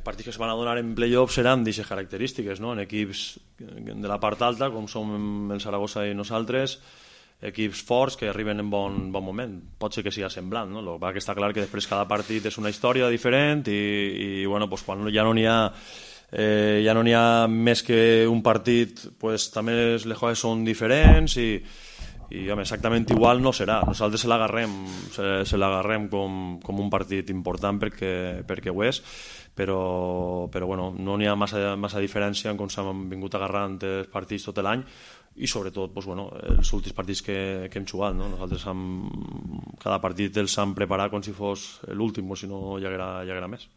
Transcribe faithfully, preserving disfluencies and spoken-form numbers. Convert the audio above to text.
partits que es van a donar en play-off seran d'aquestes característiques, no? En equips de la part alta, com som el Saragossa i nosaltres, equips forts que arriben en bon, bon moment. Pot ser que sigui semblant, no? El que està clar que després cada partit és una història diferent i, i bueno, pues, quan ja no n'hi ha eh, ja no n'hi ha més que un partit, pues, també les coses són diferents i i home, exactament igual no serà. Nosaltres se l'agarrem se, se l'agarrem com, com un partit important perquè, perquè ho és, però, però bueno, no n'hi ha massa, massa diferència en com s'han vingut agarrant els partits tot l'any i sobretot pues, bueno, els últims partits que, que hem jugat, no? Nosaltres hem, cada partit els hem preparat com si fos l'últim o si no hi haguera, hi haguera més.